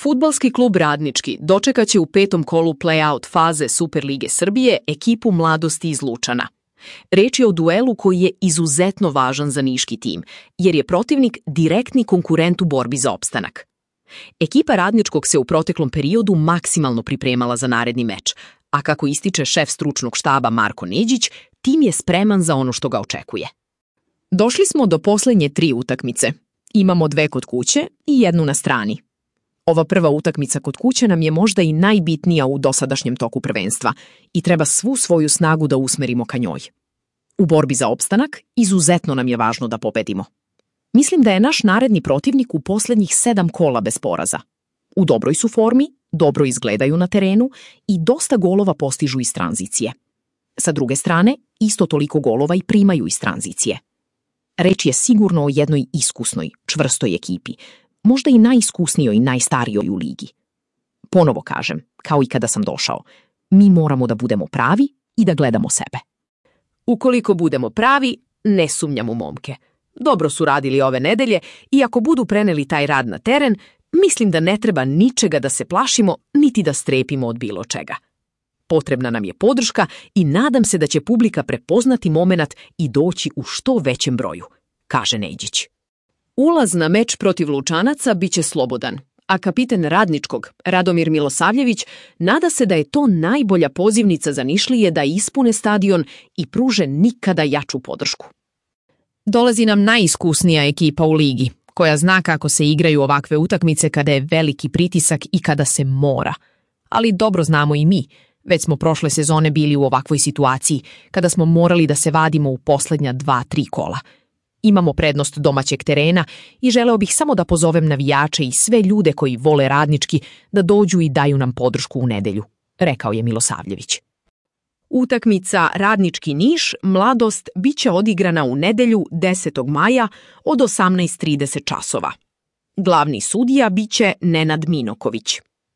Fudbalski klub Radnički dočekaće u 5. kolu play-out faze Superlige Srbije ekipu Mladosti iz Lučana. Reč je o duelu koji je izuzetno važan za niški tim, jer je protivnik direktni konkurent u borbi za opstanak. Ekipa Radničkog se u proteklom periodu maksimalno pripremala za naredni meč, a kako ističe šef stručnog štaba Marko Neđić, tim je spreman za ono što ga očekuje. Došli smo do poslednje 3 utakmice. Imamo 2 kod kuće i 1 na strani. Ova prva utakmica kod kuće nam je možda i najbitnija u dosadašnjem toku prvenstva i treba svu svoju snagu da usmerimo ka njoj. U borbi za opstanak izuzetno nam je važno da pobedimo. Mislim da je naš naredni protivnik u poslednjih 7 kola bez poraza. U dobroj su formi, dobro izgledaju na terenu i dosta golova postižu iz tranzicije. Sa druge strane, isto toliko golova i primaju iz tranzicije. Reč je sigurno o jednoj iskusnoj, čvrstoj ekipi, možda i najiskusnijoj i najstarijoj u ligi. Ponovo kažem, kao i kada sam došao, mi moramo da budemo pravi i da gledamo sebe. Ukoliko budemo pravi, ne sumnjam u momke. Dobro su radili ove nedelje i ako budu preneli taj rad na teren, mislim da ne treba ničega da se plašimo, niti da strepimo od bilo čega. Potrebna nam je podrška i nadam se da će publika prepoznati momenat i doći u što većem broju, kaže Neđić. Ulaz na meč protiv Lučanaca biće slobodan, a kapiten Radničkog, Radomir Milosavljević, nada se da je to najbolja pozivnica za Nišlije da ispune stadion i pruže nikada jaču podršku. Dolazi nam najiskusnija ekipa u ligi, koja zna kako se igraju ovakve utakmice kada je veliki pritisak i kada se mora. Ali dobro znamo i mi, već smo prošle sezone bili u ovakvoj situaciji, kada smo morali da se vadimo u poslednja 2-3 kola. Imamo prednost domaćeg terena i želeo bih samo da pozovem navijače i sve ljude koji vole Radnički da dođu i daju nam podršku u nedelju, rekao je Milosavljević. Utakmica Radnički Niš, Mladost, biće odigrana u nedelju 10. maja od 18:30 časova. Glavni sudija biće Nenad Minoković.